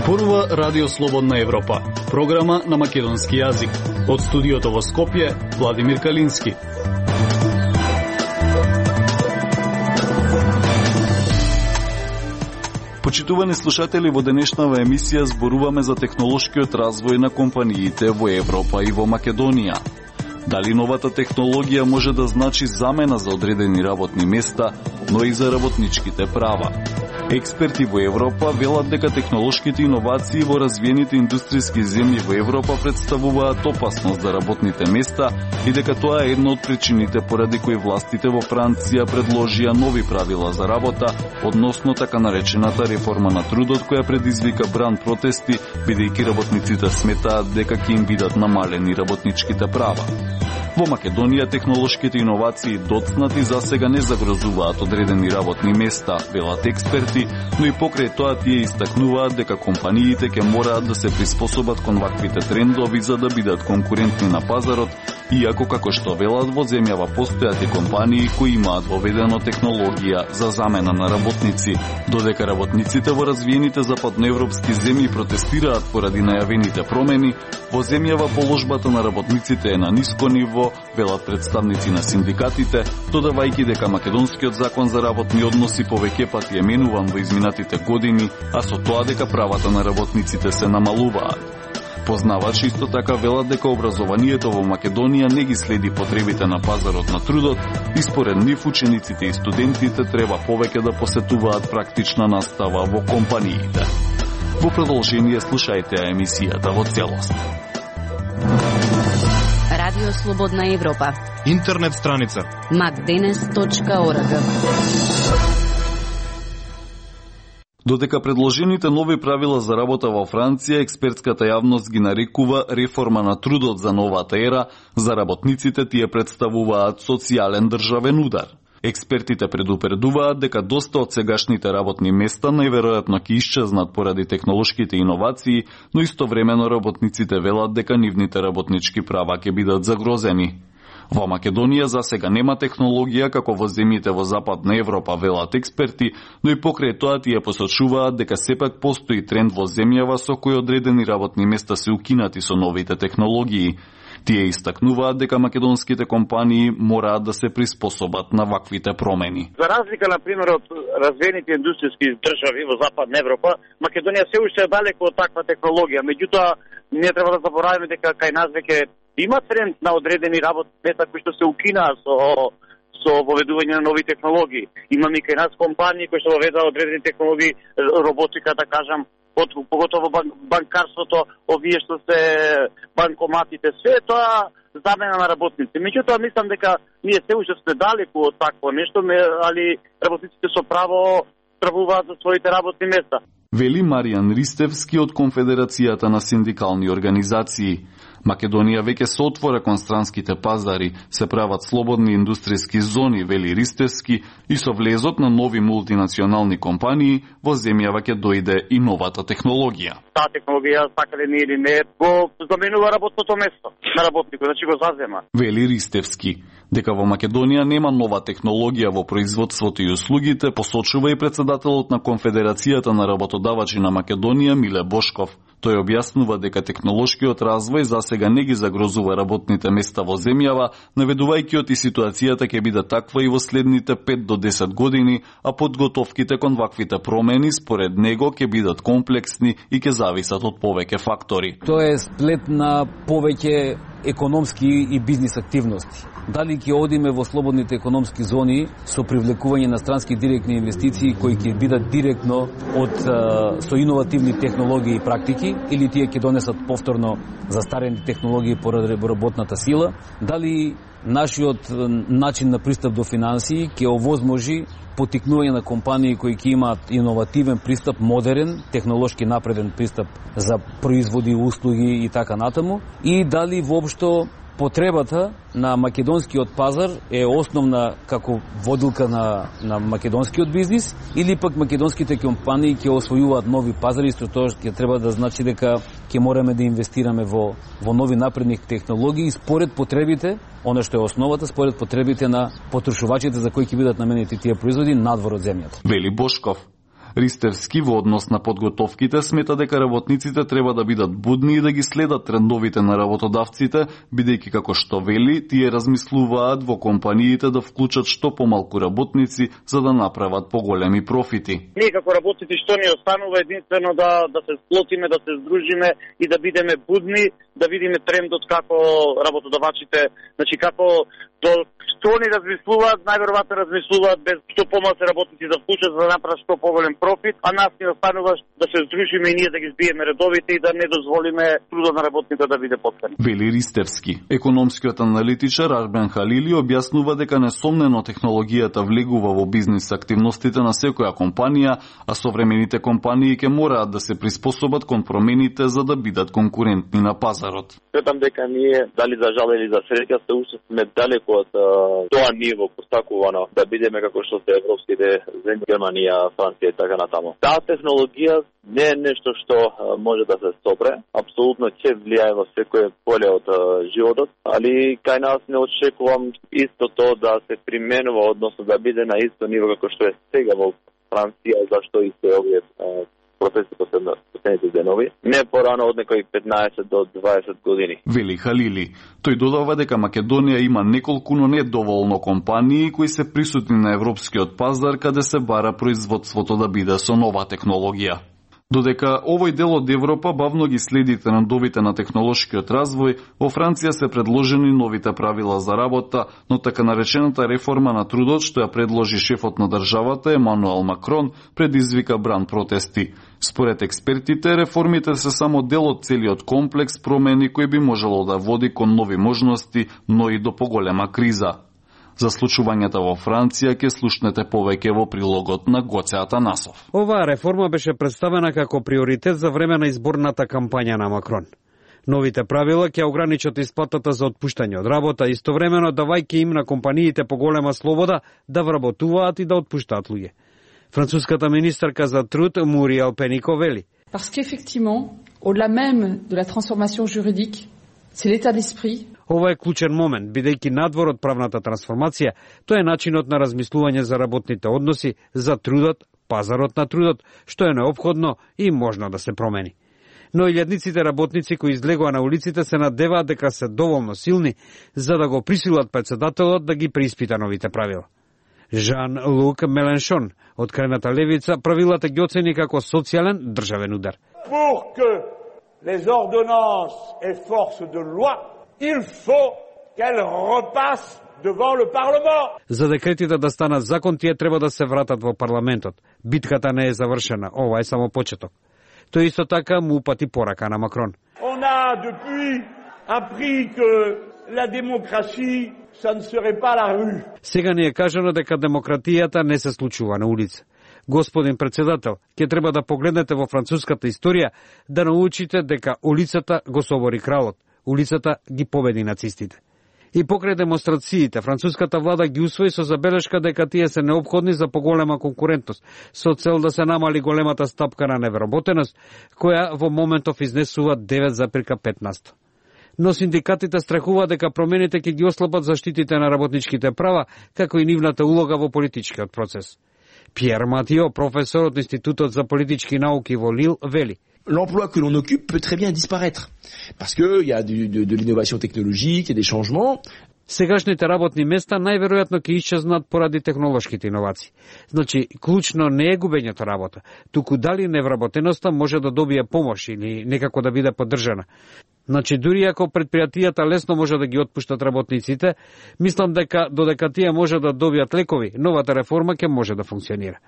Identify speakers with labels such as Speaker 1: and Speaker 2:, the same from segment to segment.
Speaker 1: Зборува Радио Слободна Европа, програма на македонски јазик. Од студиото во Скопје, Владимир Калински. Почитувани слушатели, во денешнава емисија зборуваме за технолошкиот развој на компаниите во Европа и во Македонија. Дали новата технологија може да значи замена за одредени работни места, но и за работничките права? Експерти во Европа велат дека технолошките иновации во развиените индустријски земји во Европа представуваат опасност за работните места и дека тоа е една од причините поради кои властите во Франција предложија нови правила за работа, односно така наречената реформа на трудот, која предизвика бран протести, бидејќи работниците сметаат дека ќе им бидат намалени работничките права. Во Македонија технолошките иновации доцнати засега не загрозуваат одредени работни места, велат експерти, но и покрај тоа тие истакнуваат дека компаниите ќе мораат да се приспособат кон ваквите трендови за да бидат конкурентни на пазарот, иако како што велат во земјава постојат и компании кои имаат воведено технологија за замена на работници. Додека работниците во развиените западноевропски земји протестираат поради најавените промени, во земјава положбата на работниците е на ниско ниво, велат представници на синдикатите, додавајќи дека македонскиот закон за работни односи повеќе пати е менуван во изминатите години, а со тоа дека правата на работниците се намалуваат. Познавачи исто така велат дека образованието во Македонија не ги следи потребите на пазарот на трудот и според нив учениците и студентите треба повеќе да посетуваат практична настава во компаниите. Во продолжение слушајте емисијата во целост.
Speaker 2: Радио Слободна Европа.
Speaker 3: Интернет страница
Speaker 2: macdenes.org.
Speaker 1: Додека предложените нови правила за работа во Франција, експертската јавност ги нарекува реформа на трудот за новата ера, за работниците тие представуваат социјален државен удар. Експертите предупредуваат дека доста од сегашните работни места најверојатно ќе исчезнат поради технолошките иновации, но истовремено работниците велат дека нивните работнички права ќе бидат загрозени. Во Македонија засега нема технологија како во земјите во Западна Европа, велат експерти, но и покрај тоа тие посочуваат дека сепак постои тренд во земјава со кој одредени работни места се укинати со новите технологии. Тие истакнуваат дека македонските компании мораат да се приспособат на ваквите промени.
Speaker 4: За разлика, например, од развиените индустријски држави во Западна Европа, Македонија се уште е далеко од таква технологија. Меѓутоа, не треба да забораваме дека кај нас веќе има тренд на одредени работни места кои што се укинаа со воведување на нови технологии. Имаме кај нас компании кои што воведаа одредени технологии, роботика, да кажам, поготово банкарството, овие што се банкоматите, све тоа замена на работници. Меѓутоа, мислам дека ние се уште сме далеку од такво нешто, али работниците со право стравуваат за своите работни места.
Speaker 1: Вели Маријан Ристевски од Конфедерацијата на синдикални организации. Македонија веќе се отвора кон странските пазари, се прават слободни индустријски зони, вели Ристевски, и со влезот на нови мултинационални компании во земјава ќе дојде и новата технологија.
Speaker 4: Таа технологија, сакале не или не, го заменува работното место на работникот, значи го зазема.
Speaker 1: Вели Ристевски. Дека во Македонија нема нова технологија во производството и услугите, посочува и председателот на Конфедерацијата на работодавачи на Македонија Миле Бошков. Тој објаснува дека технолошкиот развој засега не ги загрозува работните места во земјава, наведувајќи и ситуацијата ќе биде таква и во следните 5 до 10 години, а подготовките кон ваквите промени според него ќе бидат комплексни и ќе зависат од повеќе фактори.
Speaker 5: Тоа е сплет на повеќе економски и бизнис активности. Дали ќе одиме во слободните економски зони со привлекување на странски директни инвестиции кои ќе бидат директно со иновативни технологии и практики, или тие ќе донесат повторно застарени технологии поради работната сила, дали нашиот начин на пристап до финансии ќе овозможи потикнување на компании кои ќе имаат иновативен пристап, модерен, технолошки напреден пристап за производи, услуги и така натаму, и дали воопшто потребата на македонскиот пазар е основна како водилка на македонскиот бизнис, или пак македонските компании ќе освојуваат нови пазари, што тоа ќе треба да значи дека ќе мораме да инвестираме во нови напредни технологии според потребите, она што е основата, според потребите на потрошувачите за кои ќе бидат наменети тие производи надвор од земјата.
Speaker 1: Вели Бошков. Ристевски во однос на подготовките смета дека работниците треба да бидат будни и да ги следат трендовите на работодавците, бидејќи како што вели, тие размислуваат во компаниите да вклучат што помалку работници за да направат поголеми профити.
Speaker 4: Ние како работници што ни останува единствено да се сплотиме, да се здружиме и да бидеме будни, да видиме трендот како работодавачите, значи како што они размислуваат, најверојатно размислуваат без што помалку работници да вклучат за да направат што поголем профит, а нас ни останува да се здружиме и ние да ги збиеме редовите и да не дозволиме трудот на работните да биде потпен.
Speaker 1: Вели Ристевски. Економскиот аналитичар Арбен Халили објаснува дека несомнено технологијата влегува во бизнис активностите на секоја компанија, а современите компании ќе мораат да се приспособат кон промените за да бидат конкурентни на пазарот.
Speaker 3: Сметам дека ние, дали за жал или за среќа, се уште сме далеко од тоа ниво постакувано да бидеме како што се европските земји, Германија, Франција и така натаму. Таа технологија не е нешто што може да се стопре, апсолутно ќе влијае во секое поле од животот, али кај нас не очекувам истото да се применува, односно да биде на исто ниво како што е сега во Франција, зашто и се овие процеси последните денови, не порано од некои 15 до 20 години.
Speaker 1: Вели Халили. Тој додава дека Македонија има неколку, но не доволно компании кои се присутни на европскиот пазар каде се бара производството да биде со нова технологија. Додека овој дел од Европа бавно ги следи трендовите на технолошкиот развој, во Франција се предложени новите правила за работа, но така наречената реформа на трудот што ја предложи шефот на државата Емануел Макрон предизвика бран протести. Според експертите, реформите се само дел од целиот комплекс промени кој би можело да води кон нови можности, но и до поголема криза. За случувањата во Франција ќе слушнете повеќе во прилогот на Гоце Атанасов.
Speaker 6: Оваа реформа беше представена како приоритет за време на изборната кампања на Макрон. Новите правила ќе ограничат исплатата за отпуштање од работа, истовремено давајќи им на компаниите поголема слобода да вработуваат и да отпуштаат луѓе. Француската министарка за труд Муриел Пенико вели:
Speaker 7: Parce qu'effectivement, au-delà même de la transformation juridique, c'est l'état d'esprit.
Speaker 6: Ова е клучен момент, бидејќи надвор од правната трансформација, тоа е начинот на размислување за работните односи, за трудот, пазарот на трудот, што е неопходно и можно да се промени. Но илјадниците работници кои излегоа на улиците се надеваат дека се доволно силни за да го присилат председателот да ги преиспита новите правила. Жан-Лук Меленшон, од крајната левица, правилата ги оцени како социјален државен удар.
Speaker 8: Pour que les ordonnances aient force de loi, il faut qu'elles repassent devant le Parlement.
Speaker 6: За декретите да станат закон, тие треба да се вратат во парламентот. Битката не е завршена, ова е само почеток. Тој исто така му упати порака на Макрон.
Speaker 8: On a depuis appris que la démocratie, ça ne serait pas la rue.
Speaker 6: Сега ни е кажано дека демократијата не се случува на улица. Господин председател, ќе треба да погледнете во француската историја да научите дека улицата го собори кралот, улицата ги победи нацистите. И покрај демонстрациите, француската влада ги усвои со забелешка дека тие се неопходни за поголема конкурентност, со цел да се намали големата стапка на невработеност, која во моментов изнесува 9,15%. Но синдикатите страхуваат дека промените ќе ги ослабат заштитите на работничките права, како и нивната улога во политичкиот процес. Пиер Матио, професор од Институтот за политички науки во Лил, вели:
Speaker 9: L'emploi que l'on occupe peut très bien disparaître, parce qu'il y a de l'innovation technologique, il y a des changements.
Speaker 6: Сегашните работни места најверојатно ќе исчезнат поради технолошките иновации. Значи, клучно не е губењето работа, туку дали невработеноста може да добие помош или некако да биде поддржана. Значи, дури ако предпријатијата лесно може да ги отпуштат работниците, мислам дека додека тие може да добијат лекови, новата реформа ќе може да функционира.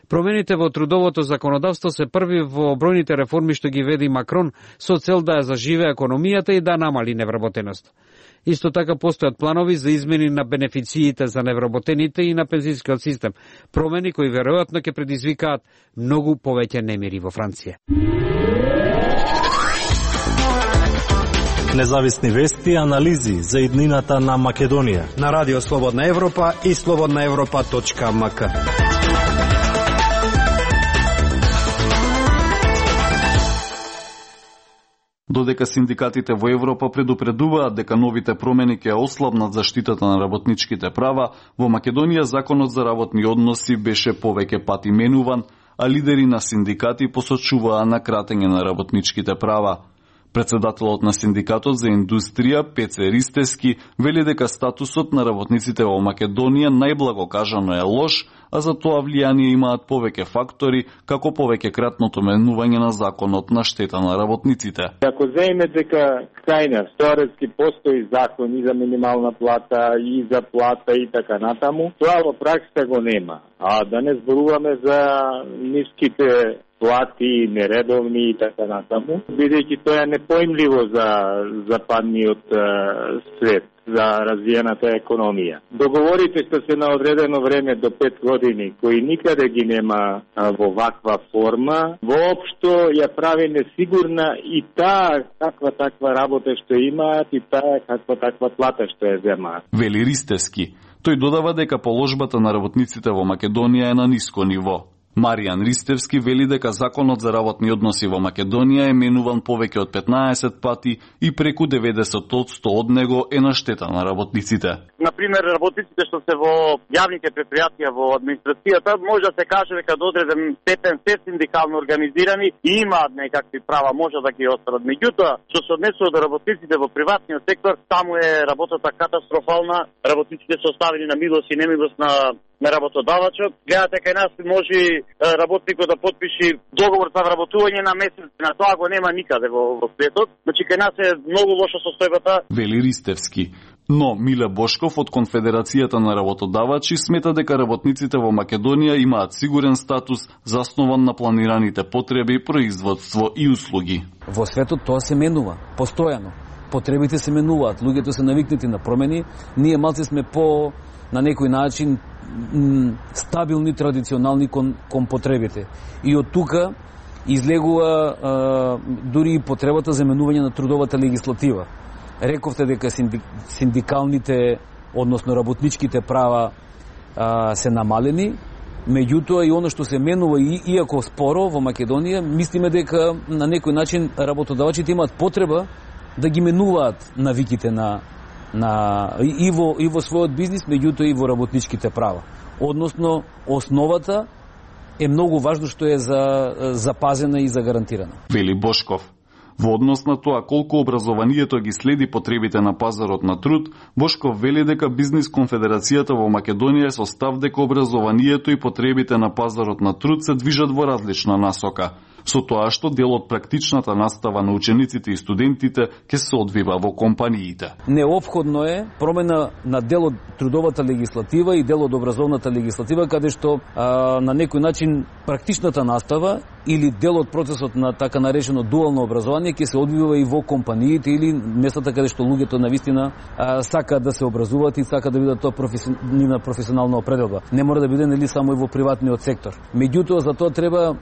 Speaker 6: Промените во трудовото законодавство се први во бројните реформи што ги веди Макрон со цел да ја заживее економијата и да намали невработеност. Исто така постојат планови за измени на бенефициите за невработените и на пензискиот систем, промени кои веројатно ќе предизвикаат многу повеќе немири во Франција.
Speaker 10: Независни вести и анализи за иднината на Македонија
Speaker 6: на Радио Слободна Европа и slobodnaevropa.mk.
Speaker 1: Додека синдикатите во Европа предупредуваат дека новите промени ќе ослабнат заштитата на работничките права, во Македонија законот за работни односи беше повеќе пати менуван, а лидери на синдикати посочуваа на кратење на работничките права. Председателот на Синдикатот за индустрија Пеце Ристевски вели дека статусот на работниците во Македонија најблаго кажано е лош, а за тоа влијание имаат повеќе фактори, како повеќе кратното менување на законот на штета на работниците.
Speaker 11: Ако земеме дека кај нас теоретски постои закон и за минимална плата, и за плата и така натаму, тоа во пракса го нема. А да не зборуваме за ниските плати, нередовни и така натаму, бидејќи тоа е непоимливо за западниот свет, за развиената економија. Договорите што се на одредено време до 5 години, кои никаде ги нема во ваква форма, воопшто ја прави несигурна и таа каква таква работа што имаат и таа каква таква плата што ја земаат.
Speaker 1: Вели Ристевски. Тој додава дека положбата на работниците во Македонија е на ниско ниво. Маријан Ристевски вели дека законот за работни односи во Македонија е менуван повеќе од 15 пати и преку 90% од него е на штета на работниците.
Speaker 4: Например, работниците што се во јавните предпријатија во администрацијата, може да се каже дека до одреден степен се синдикално организирани и имаат некакви права, може да ги остварат. Меѓутоа, што се однесува до работниците во приватниот сектор, таму е работата катастрофална. Работниците се оставени на милост и немилост на работодавачот. Гледате, кај нас може работникот да подпише договор за вработување на месец, на тоа го нема никаде во светот. Значи, кај нас е многу лоша состојбата.
Speaker 1: Вели Ристевски. Но Миле Бошков од Конфедерацијата на работодавачи смета дека работниците во Македонија имаат сигурен статус заснован на планираните потреби, производство и услуги.
Speaker 5: Во светот тоа се менува постојано. Потребите се менуваат, луѓето се навикнати на промени. Ние малце сме на некој начин стабилни, традиционални кон потребите. И од тука излегува дури и потребата за менување на трудовата легислатива. Рековте дека синдикалните, односно работничките права се намалени, меѓутоа и оно што се менува, иако споро во Македонија, мислиме дека на некој начин работодавачите имаат потреба да ги менуваат навиките и во својот бизнис, меѓутоа и во работничките права. Односно, основата е многу важно што е запазена и загарантирана.
Speaker 1: Вели Бошков. Во однос на тоа колку образованието ги следи потребите на пазарот на труд, Бошков вели дека Бизнис конфедерацијата во Македонија со став дека образованието и потребите на пазарот на труд се движат во различна насока, со тоа што дел од практичната настава на учениците и студентите ќе се одвива во компаниите.
Speaker 5: Неопходно е промена на дел од трудовата легислатива и дел од образовната легислатива, каде што на некој начин практичната настава или дел од процесот на така наречено дуално образование ќе се одвива и во компаниите или местата каде што луѓето навистина сакаат да се образуваат и сакаат да бидат тоа нивна професионална определба. Не мора да биде нели само и во приватниот сектор. Меѓутоа за тоа треба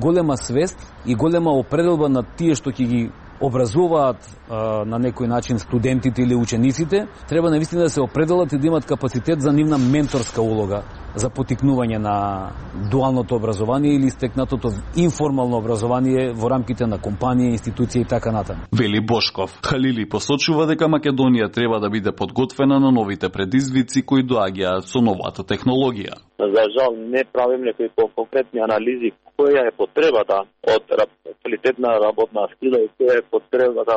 Speaker 5: голема свест и голема определба на тие што ќе ги образуваат на некој начин студентите или учениците, треба навистина да се определат и да имат капацитет за нивна менторска улога за потикнување на дуалното образование или стекнатото информално образование во рамките на компанија, институција и така натаму.
Speaker 1: Вели Бошков. Халили посочува дека Македонија треба да биде подготвена на новите предизвици кои доаѓаат со новата технологија.
Speaker 3: За жал не правим некои конкретни анализи која е потребата од квалитетна работна сила и која е потребата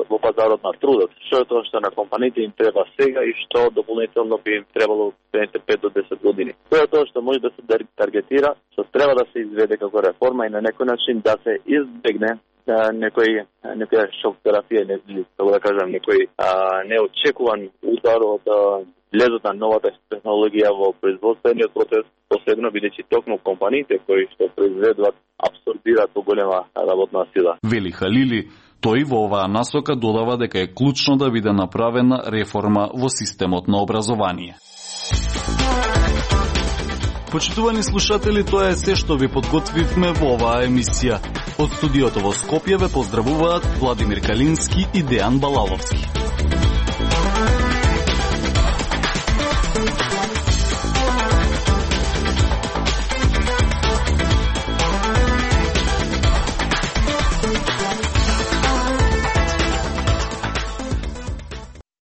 Speaker 3: во пазарот на трудот. Што е тоа што на компаниите им треба сега и што дополнително би им требало следните 5 до 10 години. Тоа е тоа што може да се таргетира, што треба да се изведе како реформа и на некој начин да се избегне некоја шок терапија, како да кажам, некој неочекуван удар од влезот на новата технологија во производствениот процес, посебно бидејќи токму компаниите кои што произведуваат абсорбираат поголема работна сила.
Speaker 1: Вели Халили, тој во оваа насока додава дека е клучно да биде направена реформа во системот на образование. Почитувани слушатели, тоа е се што ви подготвивме во оваа емисија. Од студиото во Скопје ве поздравуваат Владимир Калински и Дејан Балаловски.